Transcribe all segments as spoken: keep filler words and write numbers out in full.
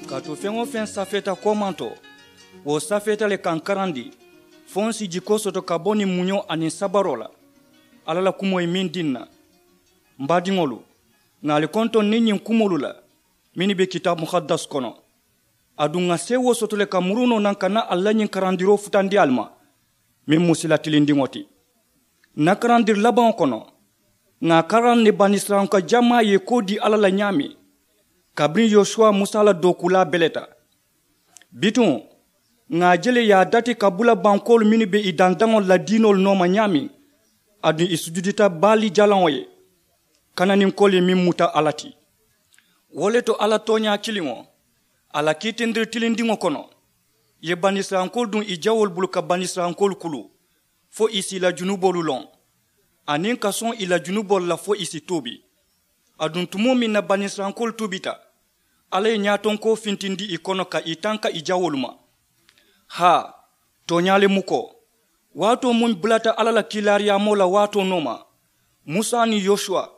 Kaatu feŋ-wo-feŋ safeeta koomaŋ to, wo safeeta le ka ǹ karandi fo ǹ si jikoo soto ka bo niŋ muñoo aniŋ sabaroo la. Alla la kumoo ye meŋ dii ǹ na, m baadiŋolu, ŋà ali kontoŋ niŋ ñiŋ kumoolu la mennu be kitaabu muhaddas kono. Aduŋ ŋà seewoo soto le ka muru noo naŋ ka naa ali la ñiŋ karandiroo futandi ali ma meŋ mu sila tilindiŋo ti. Ǹ na karandiri labaŋo kono, ŋà a karandi banisirayilanka jamaa ye koo dii alla la ñaameŋ, kabiriŋ yosuwa musa la dookuulaa beleta. Bituŋ ŋà a je le ì ye a dati ka bula bankoolu mennu be ì dandaŋolu la diinoolu nooma ñaameŋ, aduŋ ì sujudita baali jalaŋo ye, kananinkoolu ye meŋ muta alla ti. Wo le to alla tooñaa kiliŋo, a la kiitindiri tilindiŋo kono, ì ye banisirayilankoolu duŋ ì jawoolu bulu ka banisirayilankoolu kulu, fo ì si ì la junuboolu loŋ, aniŋ ka soŋ ì la junuboolu la fo ì si tuubi. Aduŋ tumoo meŋ na banisirayilankoolu tuubita, alla ye ñaatonkoo fintindi ì kono ka ì tanka ì jawoolu ma. Haa, tooñaa le mu ko, waatoo muŋ bulata alla la kiilaariyaamoo la waatoo nooma, musa niŋ yosuwa,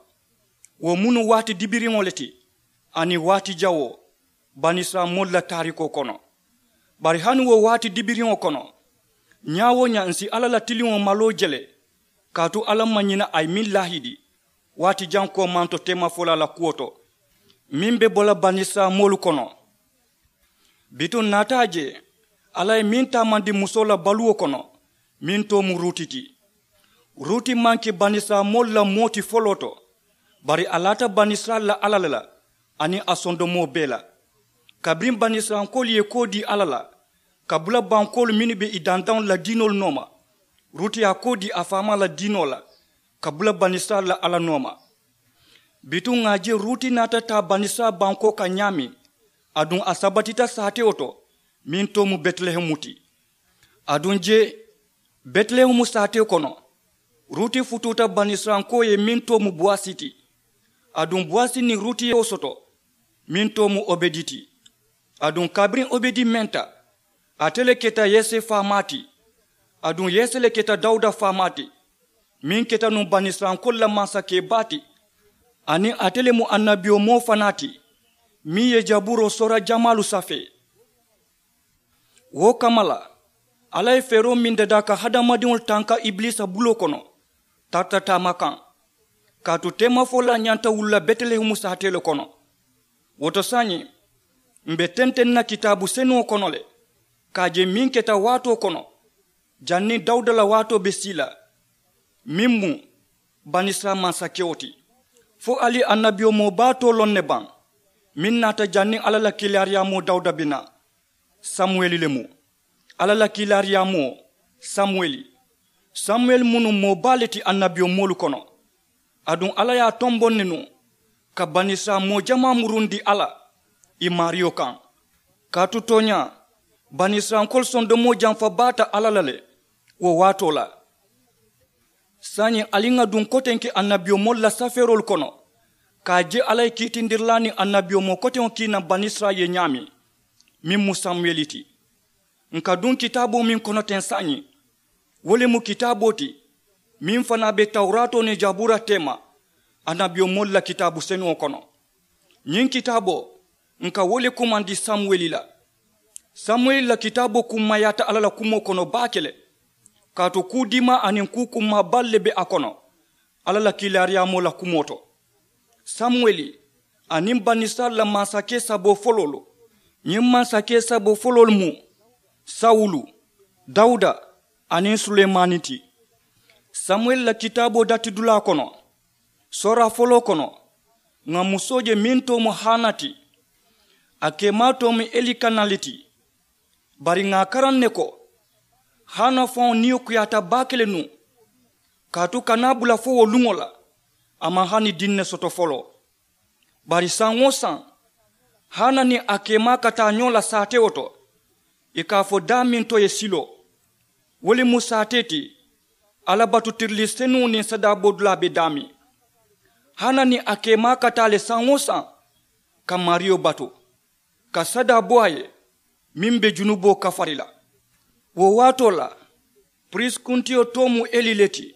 wo mu nuŋ waati dibiriŋo le ti, aniŋ waati jawoo banisirayilanmoolu la taariikoo kono. Bari hani wo waati dibiriŋo kono, ñaa-wo-ñaa ǹ si alla la tiliŋo maloo je le, kaatu alla maŋ ñina a ye meŋ laahidi waati jaŋ koomaŋ to teemafolaa la kuwo to, meŋ be bo la banisirayilanmoolu kono. Bituŋ ǹ naata a je alla ye meŋ taamandi musoo la baluwo kono, meŋ too mu ruuti ti. Ruuti maŋ ke banisirayilanmoolu la moo ti foloo to, bari a laata banisirayila la alla le la, aniŋ a sondomoo bee la. Kabiriŋ banisirayilankoolu ye koo dii alla la ka bula bankoolu mennu be ì dandaŋolu la diinoolu nooma, ruuti ye a koo dii a faamaa la diinoo la ka bula banisirayila la alla nooma. Bituŋ ŋà a je ruuti naata taa banisirayila bankoo kaŋ ñaameŋ, aduŋ a sabatita saatewo to, meŋ too mu betilehemu ti. Aduŋ je betilehemu saatee kono, ruuti futuuta banisirayilankoo ye meŋ too mu bowasi ti. Aduŋ bowasi niŋ ruuti ye wo soto, meŋ too mu obedi ti. Aduŋ kabiriŋ obedi menta, ate le keta yese faamaa ti. Aduŋ yese le keta dawuda faamaa ti, meŋ keta nuŋ banisirayilankoolu la mansakee baa ti. Aniŋ ate le mu annabiyomoo fanaa ti, meŋ ye jaburoo soora jamaalu safee. Wo kamma la, alla ye feeroo meŋ dadaa ka hadamadiŋolu tanka ibiliisa buloo kono, tarata taama kaŋ. Kaatu teemafolaa ñanta wulula betilehemu saatee le kono. Wo to saayiŋ, m̀ be tenteŋ na kitaabu senuŋo kono le, ka a je meŋ keta waatoo kono, janniŋ dawuda la waatoo be sii la, meŋ mu banisirayila mansakewo ti. Fo ali ye annabiyomoo baa too loŋ ne baŋ, meŋ naata janniŋ alla la kiilaariyaamoo dawuda be naa? Samuweli le mu. Alla la kiilaariyaamoo, samuweli. Samuweli mu nuŋ moo baa le ti annabiyomoolu kono. Aduŋ alla ye a tombondi nuŋ ka banisirayila moo jamaa murundi alla, ì maariyo kaŋ. Kaatu tooñaa, banisirayilankoolu sondomoo jamfa baata alla la le wo waatoo la. Saayiŋ ali ŋà duŋ kotenke annabiyomoolu la safeeroolu kono, ka a je alla ye kiitindirilaa niŋ annabiyomoo koteŋo kii naŋ banisirayila ye ñaameŋ, meŋ mu samuweli ti. Ǹ ka duŋ kitaaboo meŋ kono teŋ saayiŋ, wo le mu kitaaboo ti meŋ fanaa be tawuraatoo niŋ jabuura teema annabiyomoolu la kitaabu senuŋo kono. Ñiŋ kitaaboo, ǹ ka wo le kumandi samuweli la. Samuweli la kitaaboo kummayaata alla la kumoo kono baake le, kaatu kuu diimaa aniŋ kuu kummaa baalu le be a kono, alla la kiilaariyaamoo la kumoo to. Samuweli aniŋ banisirayila la mansakee saboo foloolu. Ñiŋ mansakee saboo foloolu mu sawulu, dawuda, aniŋ sulemaani ti. Samuweli la kitaaboo datidulaa kono, sooraa foloo kono, ŋà musoo je meŋ too mu hana ti. A keemaa too mu elikana le ti. Bari ŋà a karaŋ ne ko, hana faŋo niyo kuyaata baake le nuŋ, kaatu ka naa bula fo wo luŋo la, a maŋ hani diŋ ne soto foloo. Bari saŋ-wo-saŋ, hana niŋ a keemaa ka taa ñoo la saatewo to, ì ka a fo daameŋ to ye siloo. Wo le mu saatee ti, alla batu tirilii senuŋo niŋ sadaaboo dulaa be daameŋ. Hana niŋ a keemaa ka taa le saŋ-wo-saŋ ka maariyo batu, ka sadaa bo a ye meŋ be junuboo kafari la. Wo waatoo la, piriisi kuntiyo too mu eli le ti.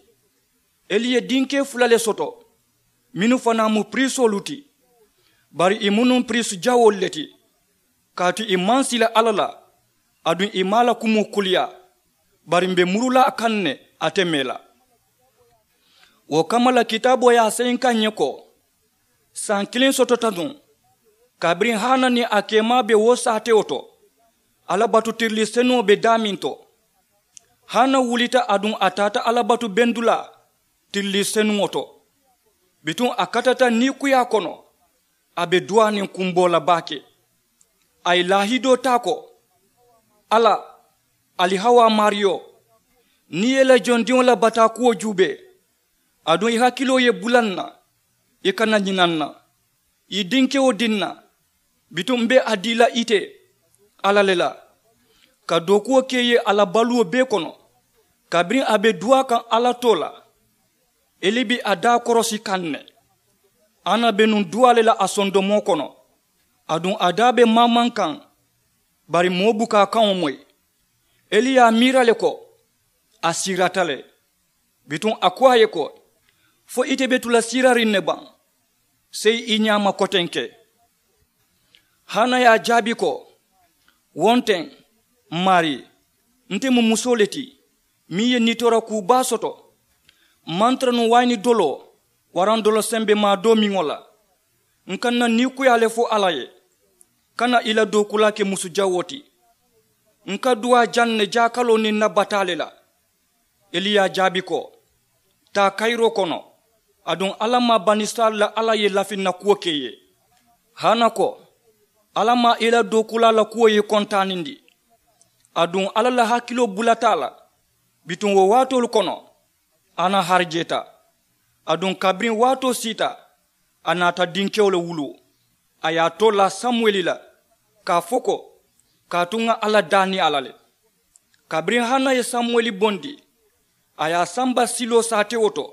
Eli ye dinkee fula le soto, mennu fanaa mu piriisoolu ti, bari ì mu nuŋ piriisi jawoolu le ti. Kaatu ì maŋ sila alla la, aduŋ ì maŋ a la kumoo kuliyaa. Bari m̀ be muru la a kaŋ ne, ate mee la. Wo kamma la kitaaboo ye a seyi n kaŋ ǹ ye ko, saŋ kiliŋ sotota nuŋ, kabiriŋ hana niŋ a keemaa be wo saatewo to, alla batu tirilii senuŋo be daameŋ to. Hana wulita aduŋ a taata alla batu bendulaa tirilii senuŋo to. Bituŋ a katata niikuyaa kono, a be duwaa niŋ kumboo la baake. A ye laahidoo taa ko, alla, ali hawaa maariyo, niŋ i ye i la jondiŋo la bataakuwo juubee, aduŋ i hakiloo ye bula n na, i kana ñina n na, i dinkewo dii n na. Bituŋ m̀ be a dii la ite alla le la, ka dookuwo ke i ye a la baluwo bee kono. Kabiriŋ a be duwaa kaŋ alla too la, eli be a daa korosi kaŋ ne. Hana be nuŋ duwaa le la a sondomoo kono, aduŋ a daa be maamaŋ kaŋ. Bari moo buka a kaŋo moyi. Eli ye a miira le ko, a siirata le. Bituŋ a ko a ye ko, fo ite be tu la siirariŋ ne baŋ? Seyi i ñaama kotenke. Hana ye a jaabi ko, wo nte, m maarii, nte mu musoo le ti, meŋ ye nitoora kuu baa soto. M maŋ tara nuŋ wayini doloo waraŋ dolo sembe maa doomiŋo la. N ka n na niikuyaa le fo alla ye, kana i la dookulaa ke musu jawoo ti. N ka duwaa jaŋ ne jaakaloo niŋ n na bataa le la. Eli ye a jaabi ko, taa kayiroo kono, aduŋ alla maŋ banisirayila la alla ye lafi n na kuwo ke i ye. Hana ko, alla maŋ i la dookulaa la kuwo ye i kontaanindi. Aduŋ alla la hakiloo bulata a la. Bituŋ wo waatoolu kono, hana harijeeta. Aduŋ kabiriŋ waatoo siita, a naata dinkewo le wuluu. A ye a too laa samuweli la, ka a fo ko, kaatu ŋa alla daani a la le. Kabiriŋ hana ye samuweli bondi, a ye a samba siloo saatewo to.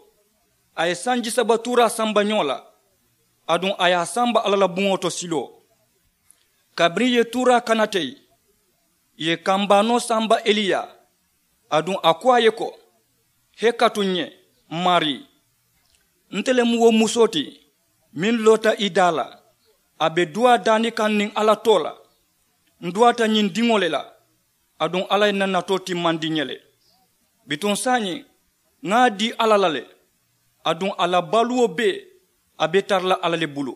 A ye sanji saba tuuraa samba ñoo la, aduŋ a ye a samba alla la buŋo to siloo. Kabiriŋ ì ye tuuraa kana teyi, ì ye kambaanoo samba eli ye. Aduŋ a ko a ye ko, hee katu ǹ ye, m maarii. Nte le mu wo musoo ti, meŋ loota i daa la. A be duwaa daani kaŋ niŋ alla too la. N duwaata ñiŋ diŋo le la, aduŋ alla ye n na natoo timmandi ǹ ye le. Bituŋ saayiŋ, ŋa a dii alla la le, aduŋ a la baluwo bee, a be tara la alla le bulu.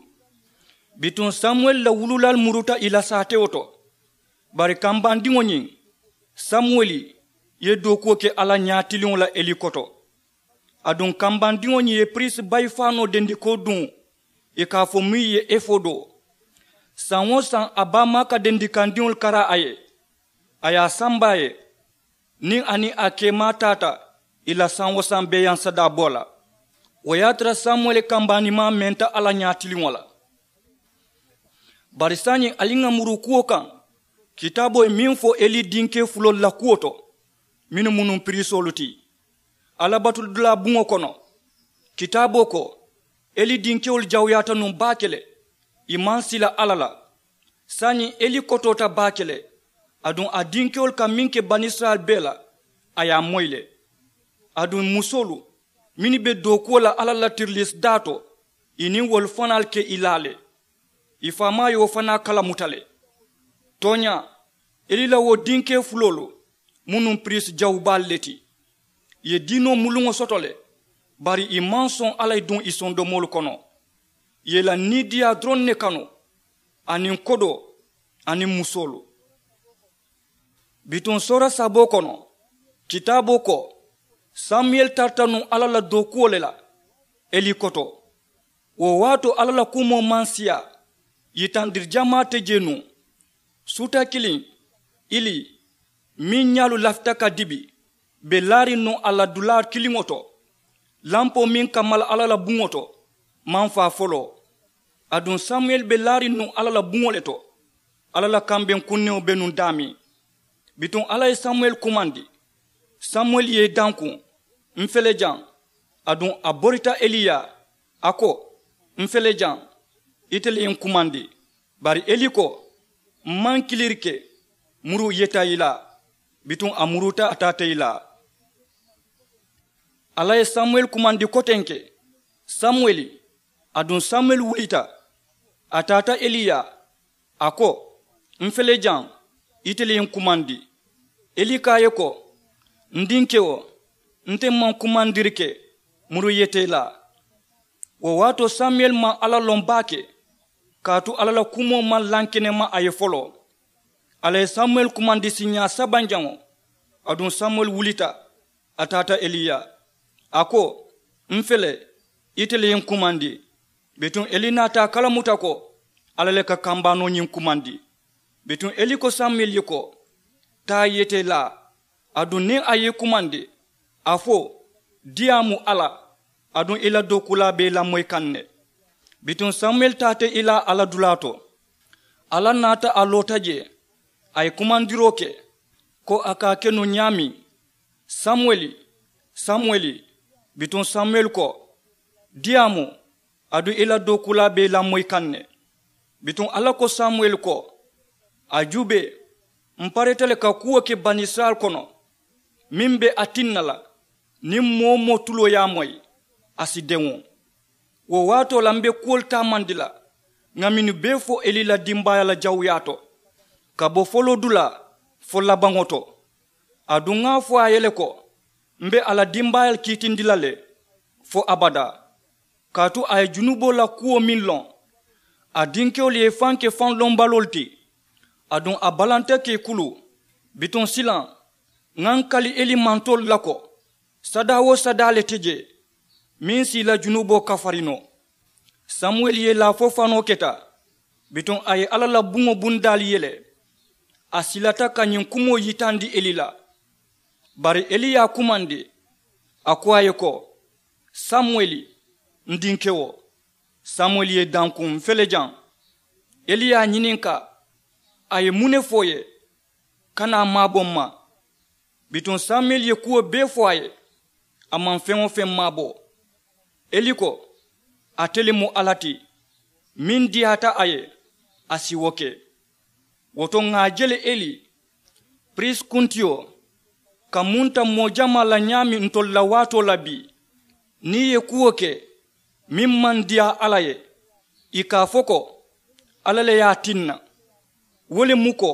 Bituŋ samuweli la wululaalu muruta ì la saatewo to. Bari kambandiŋo ñiŋ, samuweli ye dookuwo ke alla ñaatiliŋo la eli koto. Aduŋ kambandiŋo ñiŋ ye piriisi bayi faanoo dendikoo duŋ, ì ka a fo muŋ ye efodoo. Saŋ-wo-saŋ a baamaaka dendikandiŋolu kara a ye, a ye a samba a ye. Niŋ a niŋ a keemaa taata ì la saŋ-wo-saŋ beeyaŋ sadaaboo la, wo ye a tara samuweli kambaanimaa menta alla ñaatiliŋo la. Bari saayiŋ ali ŋà muru kuwo kaŋ, kitaaboo ye meŋ fo eli dinkee fuloolu la kuwo to, mennu mu nuŋ piriisoolu ti. Alla batudulaa buŋo kono, kitaaboo ko, eli dinkewolu jawuyaata nuŋ baake le. Ì maŋ sila alla la. Saayiŋ eli kotoota baake le, aduŋ a dinkewolu ka meŋ ke banisirayila bee la, a ye a moyi le. Aduŋ musoolu mennu be dookuwo la alla la tirilisidaa to, ì niŋ wolu fanaalu ke i laa le. Ì faamaa ye wo fanaa kalamuta le. Tooñaa, eli la wo dinkee fuloolu mu nuŋ piriisi jawubaalu le ti. Ì ye diinoo muluŋo soto le, bari ì maŋ soŋ alla ye duŋ ì sondomoolu kono. Ì ye ì la niidiiyaa doroŋ ne kanu, aniŋ kodoo, aniŋ musoolu. Bituŋ soora saboo kono, kitaaboo ko, samuyeli tarata nuŋ alla la dookuwo le la eli koto. Wo waatoo alla la kumoo maŋ siyaa, yitandiri jamaa te jee nuŋ. Suuta kiliŋ, ili, meŋ ñaalu lafita ka dibi, be laariŋ nuŋ a la dulaa kiliŋo to. Lampoo meŋ ka mala alla la buŋo to maŋ faa foloo. Aduŋ samuyeli be laariŋ nuŋ alla la buŋo le to. Alla la kambeŋ kunniŋo be nuŋ daameŋ. Bituŋ alla ye samuweli kumandi. Samuweli ye i dankuŋ, m fele jaŋ. Aduŋ a borita eli yaa, a ko, m fele jaŋ, ite le ye n kumandi. Bari eli ko, m maŋ kiliiri ke, muru yeta i la. Bituŋ a muruta a taata i la. Alla ye samuweli kumandi kotenke, samuweli. Aduŋ samuweli wulita, a taata eli yaa, a ko, M̀ fele jaŋ, itelu ye n kumandi. Eli ko a ye ko, n dinkewo, nte maŋ kumandiri ke muru yete la. Wo waatoo samuwel maŋ alla loŋ baake, kaatu alla la kumoo maŋ lankenema a ye foloo. Alla ye samuwel kumandi siiñaa sabanjaŋo. Aduŋ samuwel wulita, a taata eli yaa, a ko, m̀ fele, itelu ye n kumandi. Bituŋ eli naata a kalamuta ko alla le ka kambaanoo ñiŋ kumandi. Bituŋ eli ko samuwel ye ko, taa yete la. Aduŋ niŋ a ye i kumandi, a fo, diyaamu alla, aduŋ i la dookuulaa be i lamoyi kaŋ ne. Bituŋ samuwel taata i la alla dulaa to. Alla naata a loota jee, a ye kumandiroo ke, ko a ka a ke nuŋ ñaameŋ, samuweli, samuweli. Bituŋ samuwel ko, diyaamu, aduŋ i la dookuulaa be i lamoyi kaŋ ne. Bituŋ alla ko samuwel ko, a juubee, m̀ parita le ka kuwo ke banisirayila kono, meŋ be a tinna la, niŋ moo-wo-moo tuloo ye a moyi, a si deŋ wo. Wo waatoo la m̀ be kuwolu taamandi la, ŋà mennu bee fo eli la dimbaayaa la jawuyaa to, ka bo foloodulaa fo labaŋo to. Aduŋ ŋà a fo a ye le ko, m̀ be a la dimbaayaalu kiitindi la le fo abadaa. Kaatu a ye junuboo la kuwo meŋ loŋ, a dinkewolu ye i faŋ ke faŋ lombaloolu ti. Aduŋ a balanta ka i kuluu. Bituŋ silaŋ, ŋà n kali eli mantoolu la ko, sadaa-wo-sadaa le te jee, meŋ si i la junuboo kafari noo. Samuweli ye laafo fanoo keta. Bituŋ a ye alla la buŋo bundaalu yele. A silata ka ñiŋ kumoo yitandi eli la. Bari eli ye a kumandi, a ko a ye ko, samuweli, n dinkewo. Samuweli ye i dankuŋ, m̀ fele jaŋ. Eli ye a ñininkaa, a ye muŋ ne fo i ye? Kana a maabo m̀ ma. Bituŋ samuweli ye kuwo bee fo a ye, a maŋ feŋ-wo-feŋ maabo. Eli ko, ate le mu alla ti, meŋ diyaata a ye, a si wo ke. Wo to ŋà a je le eli, piriisi kuntiyo, ka munta moo jamaa la ñaameŋ ntolu la waatoo la bii, niŋ i ye kuwo ke meŋ maŋ diyaa alla ye, ì ka a fo ko, alla le ye a tinna. Wo le mu ko,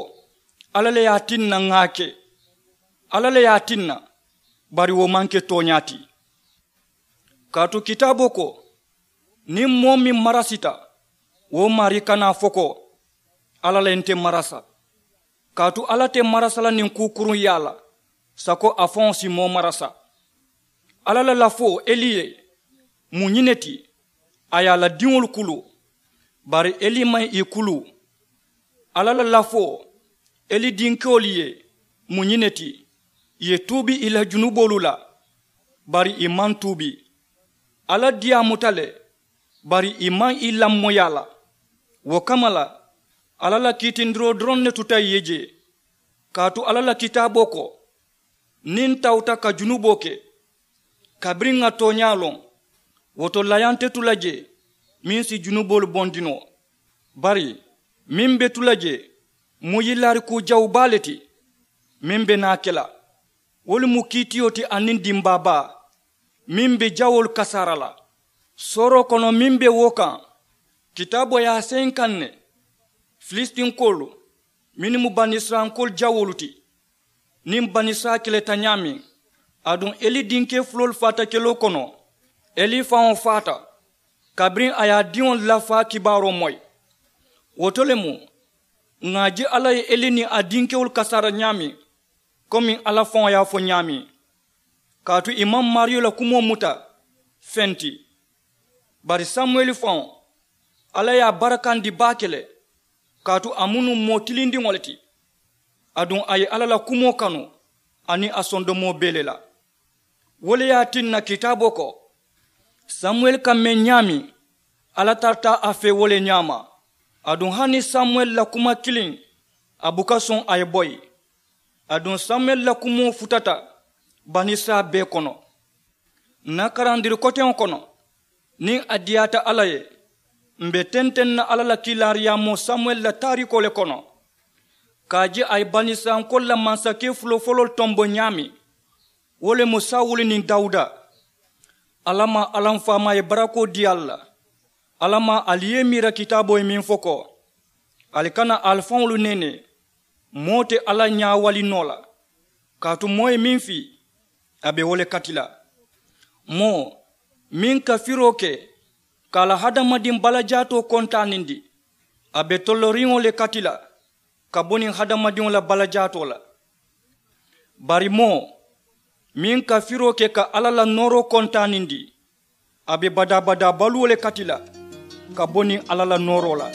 alla le ye a tinna ŋà a ke. Alla le ye a tinna, bari wo maŋ ke tooñaa ti. Kaatu kitaaboo ko, niŋ moo meŋ marasita, wo maarii kana a fo ko, alla le ye nte marasa. Kaatu alla te marasa la niŋ kuu kuruŋ yaa la, sako a faŋo si moo marasa. Alla la lafoo eli ye, mu ñiŋ ne ti, a ye a la diŋolu kuluu. Bari eli maŋ ì kuluu. Alla la lafoo, eli dinkewolu ye, mu ñiŋ ne ti, ì ye tuubi ì la junuboolu la. Bari ì maŋ tuubi. Alla diyaamuta le, bari ì maŋ ì lamoyi a la. Wo kamma la, alla la kiitindiroo doroŋ ne tuta ì ye jee. Kaatu alla la kitaaboo ko, niŋ n tawuta ka junuboo ke, kabiriŋ ŋà tooñaa loŋ, wo to layaa nte tu la jee, meŋ si junuboolu bondi noo. Bari meŋ be tu la jee, mu yilaari kuu jawu baa le ti, meŋ be naa ke la. Wolu mu kiitiyo ti aniŋ dimbaa baa, meŋ be jawoolu kasaara la. Sooroo kono meŋ be wo kaŋ, kitaaboo ye a seyi n kaŋ ne, filisitinkoolu, mennu mu banisirayilankoolu jawoolu ti, niŋ banisirayila keleta ñaameŋ. Aduŋ eli dinkee fuloolu faata keloo kono, eli faŋo faata, kabiriŋ a ye a diŋolu la faa kibaaroo moyi. Wo to le mu, ŋà a je alla ye eli niŋ a dinkewolu kasaara ñaameŋ, komiŋ alla faŋo ye a fo ñaameŋ. Kaatu ì maŋ maariyo la kumoo muta feŋ ti. Bari samuweli faŋo, alla ye a barakandi baake le. Kaatu a mu nuŋ moo tilindiŋo le ti. Aduŋ a ye alla la kumoo kanu, aniŋ a sondomoo bee le la. Wo le ye a tinna kitaaboo ko, samuweli ka meŋ ñaameŋ, alla tarata a fee wo le ñaama. Aduŋ hani samuweli la kuma kiliŋ, a buka soŋ a ye boyi. Aduŋ samuweli la kumoo futata banisirayila bee kono. N na karandiri koteŋo kono, niŋ a diyaata alla ye, m̀ be tenteŋ na alla la kiilaariyaamoo samuweli la taariikoo le kono, ka a je a ye banisirayilankoolu la mansakee fulofuloolu tombo ñaameŋ. Wo le mu sawulu niŋ dawuda. Alla maŋ alla m faamaa ye barakoo dii ali la. Alla maŋ ali ye i miira kitaaboo ye meŋ fo ko, Ali kana ali faŋolu neenee. Moo te alla ñaawali noo la. Kaatu moo ye meŋ fii, a be wo le kati la. Moo meŋ ka firoo ke ka a la hadamadiŋ balajaatoo kontaanindi, a be tolloriŋo le kati la ka bo niŋ hadamadiŋo la balajaatoo la. Bari moo meŋ ka firoo ke ka alla la nooroo kontaanindi, a be badaa-badaa baluwo le kati la ka bo niŋ alla la nooroo la.